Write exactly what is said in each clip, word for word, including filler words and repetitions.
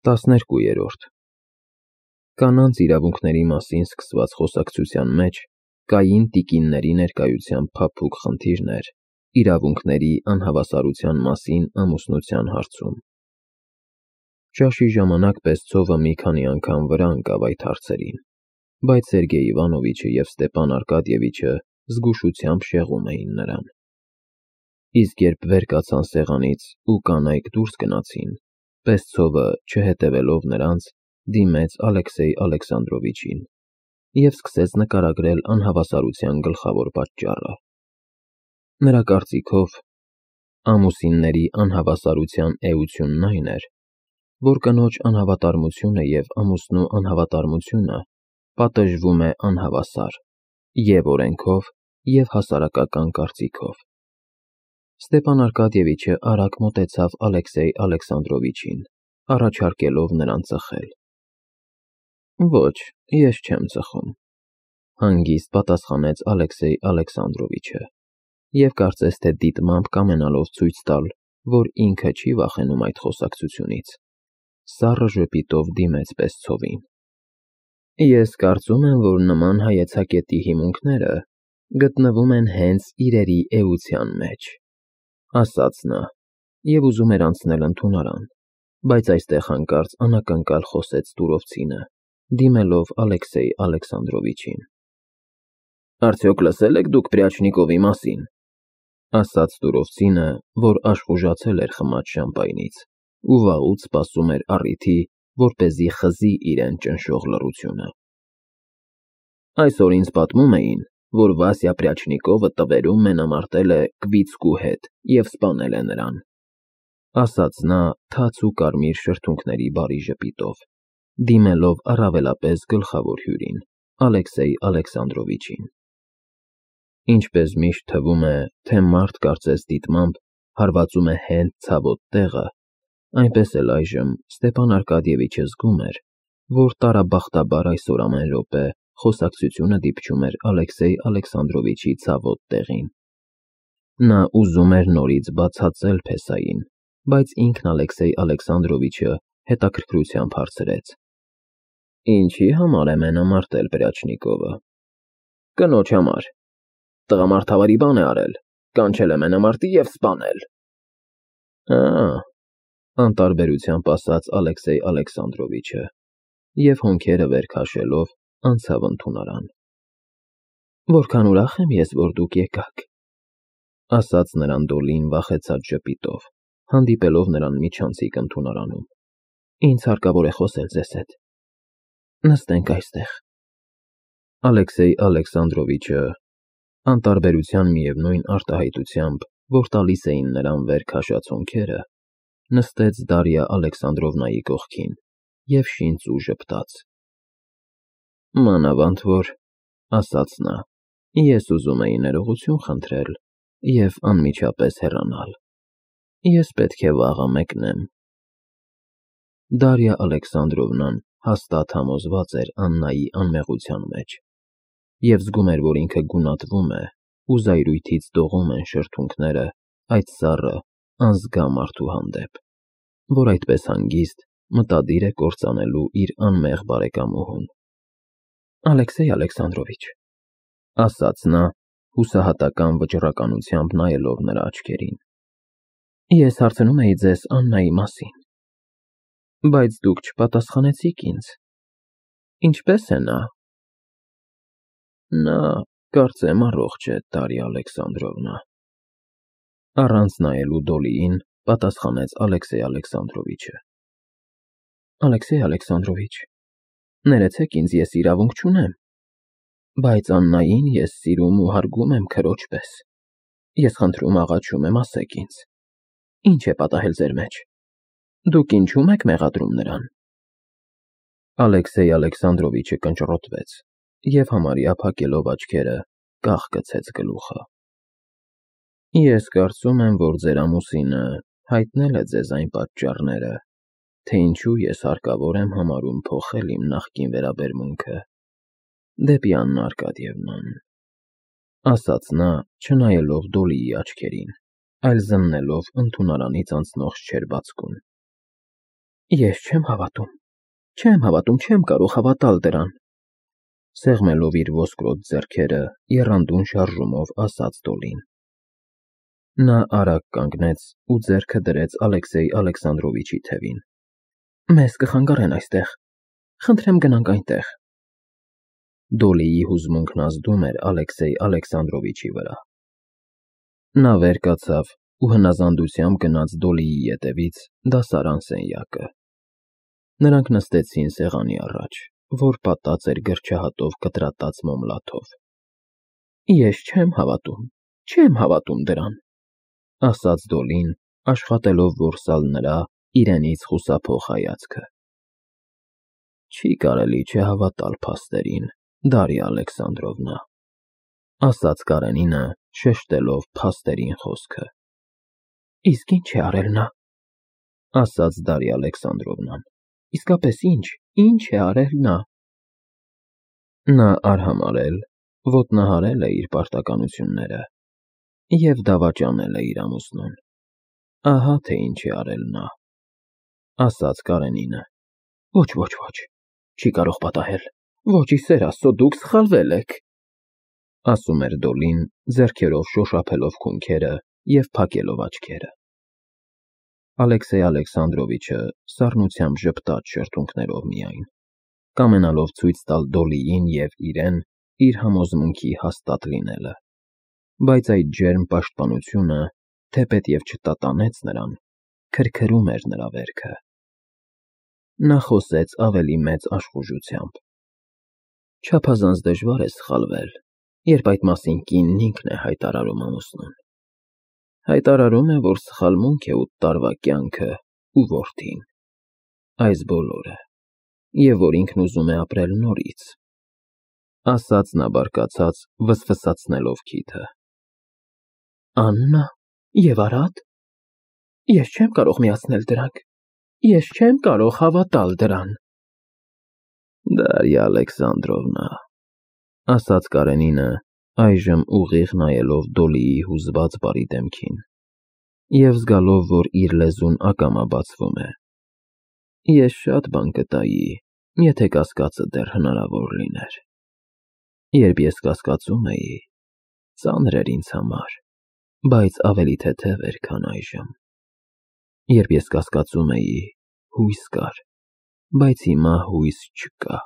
տասներկուերորդ Կանանց իրավունքների մասին սկսված խոսակցության մեջ կային տիկինների ներկայությամբ փափուկ խնդիրներ իրավունքների անհավասարության մասին ամուսնության հարցում։ Ճաշի ժամանակ Պեսցովը մի քանի անգամ վրա ընկավ այդ հարցերին, բայց Սերգեյ Իվանովիչը և Ստեպան Արկադիևիչը զգուշությամբ շեղում էին նրան։ Իսկ երբ վեր կացան սեղանից ու կանայք դուրս գնացին, Պեսցովը, չհետևելով նրանց, դիմեց Ալեքսեյ Ալեքսանդրովիչին և սկսեց նկարագրել անհավասարության գլխավոր պատճառը։ Նրա կարծիքով, ամուսինների անհավասարության էությունն այն էր, որ կնոջ անհավատարմությունը և ամուսնու անհավատարմությունը պատժվում է անհավասար և՛ օրենքով, և՛ հասարակական կարծիքով։ Ստեպան Արկադիևիչը արագ մոտեցավ Ալեքսեյ Ալեքսանդրովիչին, առաջարկելով նրան ծխել։ Ոչ, ես չեմ ծխում, հանգիստ պատասխանեց Ալեքսեյ Ալեքսանդրովիչը, և կարծես թե դիտմամբ կամենալով ցույց տալ, որ ինքը չի վախենում այդ խոսակցությունից, սառը ժպիտով դիմեց Պեսցովին։ Ես կարծում եմ, որ նման հայեցակետի հիմունքները գտնվում են հենց իրերի էության մեջ, ասաց նա, և ուզում էր անցնել ընդունարան, բայց այստեղ հանկարծ անակնկալ խոսեց Տուրովցինը, դիմելով Ալեքսեյ Ալեքսանդրովիչին։ Արդյոք լսել եք դուք Պրիաչնիկովի մասին, ասաց Տուրովցինը, որ աշխուժացել էր խմած շամպայնից ու վաղուց սպասում էր առիթի, որպեսզի խզի իրեն ճնշող լռությունը։ Այսօր ինձ պատմում էին, որ Վասյա Պրիաչնիկովը տվերում մենամարտել է Կվիցկու հետ և սպանել է նրան, ասաց նա թաց ու կարմիր շրթունքների բարի ժպիտով, դիմելով առավելապես գլխավոր հյուրին՝ Ալեքսեյ Ալեքսանդրովիչին։ Ինչպես միշտ թվում է, թե մարդ կարծես դիտմամբ հարվածում է հենց ցավոտ տեղը, այնպես էլ այժմ Ստեպան Արկադիևիչը զգում էր, որ տարաբախտաբար այսօր ամեն րոպե խոսակցությունը դիպչում էր Ալեքսեյ Ալեքսանդրովիչի ցավոտ տեղին։ Նա ուզում էր նորից բացածել փեսային, բայց ինքն Ալեքսեյ Ալեքսանդրովիչը հետաքրքրությամբ հարցրեց. Ինչի՞ համար է մենամարտել Պրիաչնիկովը։ Կնոջ համար։ Տղամարդավարի բան է արել, կանչել է մենամարտի և սպանել։ Ա՜, անտարբերությամբ ասաց Ալեքսեյ Ալեքսանդրովիչը և հոնքերը վեր քաշելով անցավ ընդունարան։ Որքան ուրախ եմ ես, որ դուք եկաք, ասաց նրան Դոլին վախեցած ժպիտով, հանդիպելով նրան միջանցիկ ընդունարանում։ Ինձ հարկավոր է խոսել ձեզ հետ։ Նստենք այստեղ։ Ալեքսեյ Ալեքսանդրովիչը, անտարբերության միևնույն արտահայտությամբ, որ տալիս էին նրան վեր քաշած հոնքերը, նստեց Դարիա Ալեքսանդրովնայի կողքին և շինց ու ժպտաց։ Մանավանդ որ, ասաց նա, ես ուզում էի ներողություն խնդրել և անմիջապես հեռանալ։ Ես պետք է վաղը մեկնեմ։ Դարիա Ալեքսանդրովնան հաստատ համոզված էր Աննայի անմեղության մեջ և զգում էր, որ ինքը գունատվում է ու զայրույթից դողում են շրթունքները այդ սառը, անզգա մարդու հանդեպ, որ այդպես հանգիստ մտադիր է կործանելու իր անմեղ բարեկամուհուն։ Ալեքսեյ Ալեքսանդրովիչ, ասաց նա, հուսահատական վճռականությամբ նայելով նրա աչքերին, ես հարցնում էի ձեզ Աննայի մասին, բայց դուք չպատասխանեցիք ինձ։ Ինչպե՞ս է նա։ Նա, կարծեմ, առողջ է, Դարիա Ալեքսանդրովնա, առանց նայելու Դոլիին պատասխանեց Ալեքսեյ Ալեքսանդրովիչը։ Ալեքսեյ Ալեքսանդրովիչ, ներեցեք ինձ, ես իրավունք չունեմ, բայց Աննային ես սիրում ու հարգում եմ քրոջ պես։ Ես խնդրում աղաչում եմ, ասեք ինձ, ինչ է պատահել ձեր մեջ։ Դուք ինչու՞մ եք մեղադրում նրան։ Ալեքսեյ Ալեքսանդրովիչը կնճռոտվեց և համարյա փակելով աչքերը, կախկցեց գլուխը։ Ես կարծում եմ, որ ձեր ամուսինը հայտնել է ձեզ այն պատճառները, թե ինչու ես հարկավոր եմ համարում փոխել իմ նախկին վերաբերմունքը դեպի Աննա Արկադիևնան, ասաց նա, չնայելով Դոլիի աչքերին, այլ զննելով ընդունարանից անցնող չերբածկուն։ Ես չեմ հավատում, չեմ հավատում, չեմ կարող հավատալ դրան։ Սեղմելով իր ոսկրոտ ձեռքերը, եռանդուն շարժումով ասաց Դոլին։ Նա արագ կանգնեց ու ձեռքը դրեց Ալեքսեյ Ալեքսանդրովիչի թևին։ Մեզ կխանգարեն այստեղ, խնդրեմ գնանք այնտեղ։ Դոլիի հուզմունքն ազդում էր Ալեքսեյ Ալեքսանդրովիչի վրա։ Նա վեր կացավ ու հնազանդությամբ գնաց Դոլիի ետևից դասարան սենյակը։ Նրանք նստեցին սեղանի առաջ, որ պատած էր գրչահատով կտրատած մոմլաթով։ Ես չեմ հավատում, չեմ հավատում դրան, ասաց Դոլին, աշխատելով որսալ նրա իրենից խուսափող հայացքը։ Չի կարելի չհավատալ փաստերին, Դարիա Ալեքսանդրովնա, ասաց Կարենինը, շեշտելով փաստերին խոսքը։ Իսկ ինչ է արել նա, ասաց Դարիա Ալեքսանդրովնան։ Իսկապես ինչ, ինչ է արել նա։ Նա արհամարհել, ոտնահարել է իր պարտականությունները և դավաճանել է իր ամուսնուն։ Ահա թե ինչ է արել նա, ասաց Կարենինը։ Ոչ, ոչ, ոչ, չի կարող պատահել։ Ոչ, ի սեր Աստծո, դուք սխալվել եք, ասում էր Դոլին, ձեռքերով շոշափելով քունքերը և փակելով աչքերը։ Ալեքսեյ Ալեքսանդրովիչը սառնությամբ ժպտաց շրթունքներով միայն, կամենալով ցույց տալ Դոլիին և իրեն իր համոզմունքի հաստատ լինելը, բայց այդ ջերմ պաշտպանությունը, թեպետև չտատանեց նրան, քրքրում էր նրա վերքը։ Նա խոսեց ավելի մեծ աշխուժությամբ. Չափազանց դժվար է սխալվել, երբ այդ մասին կինն ինքն է հայտարարում ամուսնուն։ Հայտարարում է, որ սխալմունք է ութ տարվա կյանքը ու որդին, այս բոլորը, և որ ինքն ուզում է ապրել նորից, ասաց նա բարկացած, վսվսացնելով քիթը։ Աննա և Արադ։ Ես չեմ կարող միացնել դրանք, ես չեմ կարող հավատալ դրան։ Դարիա Ալեքսանդրովնա, ասաց Կարենինը, այժմ ուղիղ նայելով Դոլիի հուզված բարի դեմքին և զգալով, որ իր լեզուն ակամա բացվում է։ Ես շատ բան կտայի, եթե կասկածը դեռ հնարավոր լիներ։ Երբ ես կասկածում էի, ծանր էր ինձ համար, բայց ավելի թեթև էր, քան այժմ։ Երբ ես կասկածում էի, հույս կար, բայց հիմա հույս չկա։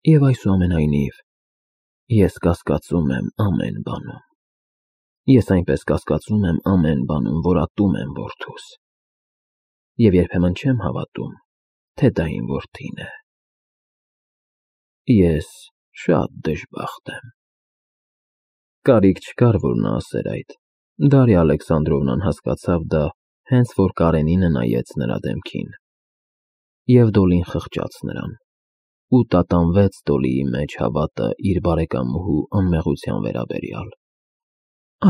Եվ այսուամենայնիվ, ես կասկածում եմ ամեն բանում։ Ես այնպես կասկածում եմ ամեն բանում, որ ատում եմ որդուս։ Եվ երբեմն չեմ հավատում, թե դա իմ որդին է։ Ես շատ դժբախտ եմ։ Կարիք չկար, որ նա ասեր այդ։ Դարիա Ալեքսանդրովնան հասկացավ դա, հենց որ Կարենինը նայեց նրա դեմքին։ Եվ Դոլին խղճաց նրան, ու տատանվեց Դոլիի մեջ հավատը իր բարեկամուհու անմեղության վերաբերյալ։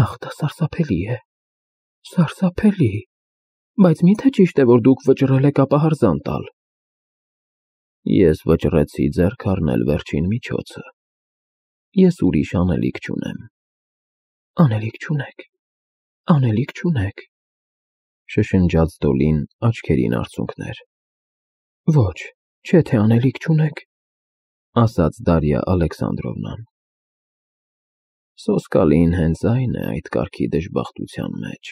Ախ, դա սարսափելի է, սարսափելի, բայց մի՞թե ճիշտ է, որ դուք վճռել եք ապահարզան տալ։ Ես վճռեցի ձեռք առնել վերջին միջոցը։ Ես ուրիշ անելիք չունեմ։ Անելիք չունեք, անելիք չունեք, շշնջաց Դոլին, աչքերին արցունքներ։ Ոչ, չէ թե անելիք չունեք, ասաց Դարիա Ալեքսանդրովնան։ Սոսկալին հենց այն է այդ կարգի դժբախտության մեջ,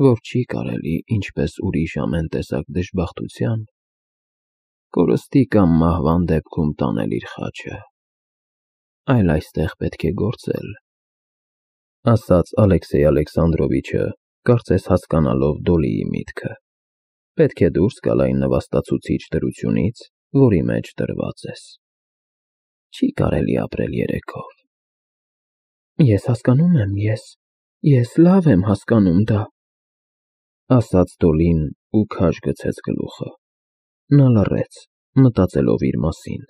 որ չի կարելի, ինչպես ուրիշ ամեն տեսակ դժբախտության, կորստի կամ մահվան դեպքում տանել իր խաչը, այլ այստեղ պետք է գործել, ասաց Ալեքսեյ Ալեքսանդրովիչը, կարծես հասկանալով Դոլիի միտքը։ Պետք է դուրս գալ այն նվաստացուցիչ դրությունից, որի մեջ դրված ես։ Չի կարելի ապրել երեքով։ Ես հասկանում եմ, ես, ես լավ եմ հասկանում դա, ասաց Դոլին ու քաշ գցեց գլուխը։ Նա լռեց, մտածելով իր մասին,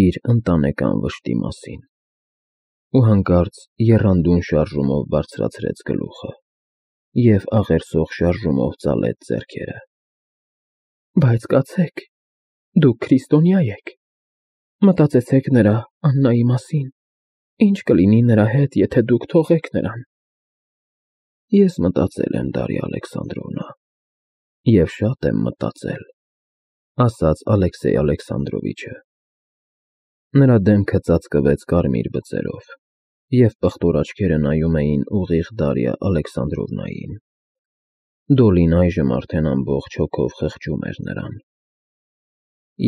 իր ընտանեկան վշտի մասին, ու հանկարծ եռանդուն շարժումով բարձրացրեց գլուխը և աղերսող շարժումով ծալեց ձեռքերը։ Բայց կացեք, դուք քրիստոնյա եք, մտածեցեք նրա Աննայի մասին, ինչ կլինի նրա հետ, եթե դուք թողեք նրան։ Ես մտածել եմ, Դարիա Ալեքսանդրովնա, և շատ եմ մտածել, ասաց Ալեքսեյ Ալեքսանդրովիչը։ Նրա դեմքը ծածկվեց կարմիր բծերով, և պղտոր աչքերը նայում էին ուղիղ Դարիա Ալեքսանդրովնային։ Դոլին այժմ արդեն ամբողջ հոգով խղճում էր նրան։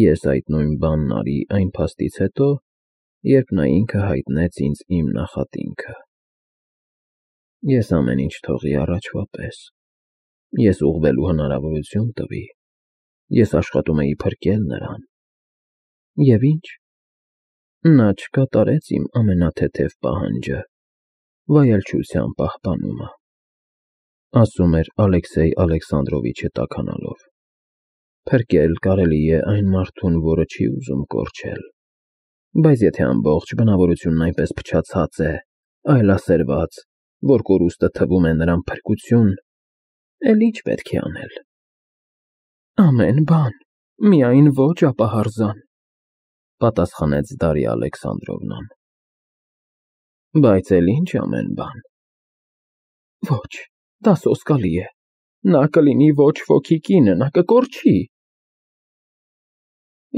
Ես այդ նույն բանն արի այն փաստից հետո, երբ նա ինքը հայտնեց ինձ իմ նախատինքը։ Ես ամեն ինչ թողի առաջվա պես։ Ես ուղղվելու հնարավորություն տվի։ Ես աշխատում էի փրկել նրան։ Եվ ի՞նչ։ Նա չկատարեց իմ ամենաթեթև պահանջը՝ վայելչության պահպանումը, ասում էր Ալեքսեյ Ալեքսանդրովիչը տաքանալով։ Փրկել կարելի է այն մարդուն, որը չի ուզում կորչել, բայց եթե ամբողջ բնավորությունն այնպես փչացած է, այլասերված, որ կորուստը թվում է նրան փրկություն, էլ ի՞նչ պետք է անել։ Ամեն բան, միայն ոչ ապահարզան, պատասխանեց Դարիա Ալեքսանդրովնան։ Բայց էլ ինչ ամեն բան։ Ոչ, դա սոսկալի է։ Նա կլինի ոչ ոքի կինը, նա կկորչի։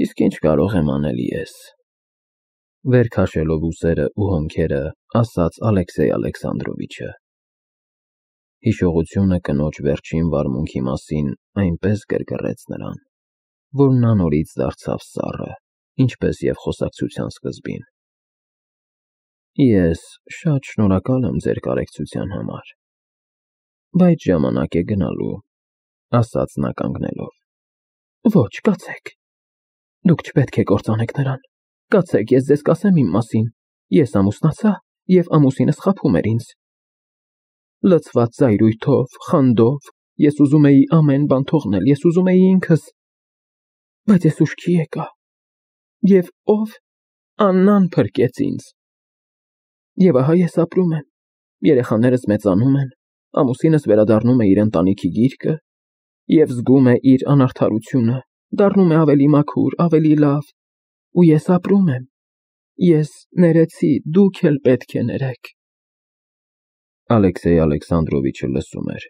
Իսկ ինչ կարող եմ անել ես, վեր քաշելով ուսերը ու հոնքերը, ասաց Ալեքսեյ Ալեքսանդրովիչը։ Հիշողությունը կնոջ վերջին վարմունքի մասին այնպես գրգռեց նրան, որ նա նորից դարձավ սառը, ինչպես և խոսակցության սկզբին։ Ես շատ շնորհակալ եմ ձեր կարեկցության համար, բայց ժամանակ է գնալու, ասաց նա կանգնելով։ Ոչ, կացեք։ Դուք չպետք է կործանեք նրան։ Կացեք, ես ձեզ կասեմ իմ մասին։ Ես ամուսնացա, և ամուսինս խաբում էր ինձ։ Լցված զայրույթով, խանդով, ես ուզում էի ամեն բան թողնել, ես ուզում էի ինքս, բայց ես ուշքի եկա։ Եվ ով։ Աննան փրկեց ինձ։ Եվ ահա ես ապրում եմ, երեխաներս մեծանում են, ամուսինս վերադառնում է իր ընտանիքի գիրկը և զգում է իր անարդարությունը, դառնում է ավելի մաքուր, ավելի լավ, ու ես ապրում եմ։ Ես ներեցի, դուք էլ պետք է ներեք։ Ալեքսեյ Ալեքսանդրովիչը լսում էր,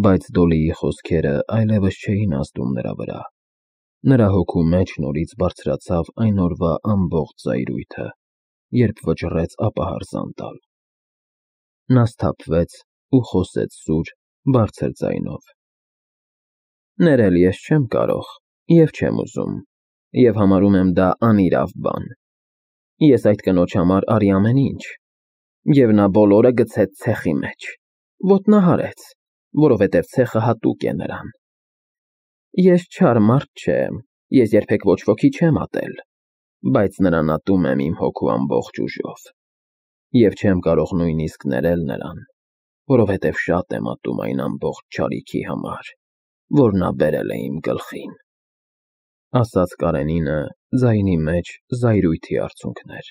բայց Դոլիի խոսքերը այլևս չէին ազդում նրա վրա։ Նրա հոգու մեջ նորից բարձրացավ այն օրվա ամբողջ զայրույթը, երբ վճռեց ապահարզան տալ։ Նա սթափվեց ու խոսեց սուր, բարձր ձայնով։ Ներել ես չեմ կարող և չեմ ուզում, և համարում եմ դա անիրավ բան։ Ես այդ կնոջ համար արի ամեն ինչ, և նա բոլորը գցեց ցեխի մեջ, ոտնահարեց, որովհետև ցեխը հատուկ է նրան։ Ես չար մարդ չեմ, ես երբեք ոչ ոքի չեմ ատել, բայց նրան ատում եմ իմ հոգու ամբողջ ուժով, և չեմ կարող նույնիսկ ներել նրան, որովհետև շատ եմ ատում այն ամբողջ չարիքի համար, որ նա բերել է իմ գլխին, ասաց Կարենինը, ձայնի մեջ զայրույթի արցունքներ։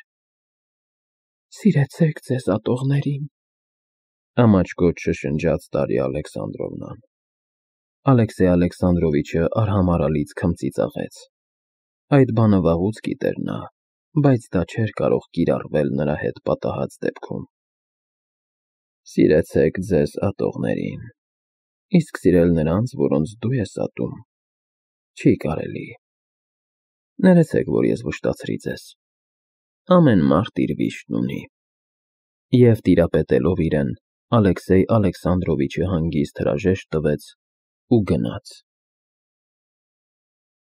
Սիրեցեք ձեզ ատողներին, ամաչկոտ շշնջաց Դարիա Ալեքսանդրովնան։ Ալեքսեյ Ալեքսանդրովիչը արհամարհալից քմծիծաղեց։ Այդ բանը վաղուց գիտեր նա, բայց դա չէր կարող կիրառվել նրա հետ պատահած դեպքում։ Սիրեցեք ձեզ ատողներին, իսկ սիրել նրանց, որոնց դու ես ատում, չի կարելի։ Ներեցեք, որ ես վշտացրի ձեզ։ Ամեն մարդ իր վիշտն ունի։ Եվ տիրապետելով իրեն, Ալեքսեյ Ալեքսանդրովիչը հանգիստ հրաժեշտ տվեց ու գնաց։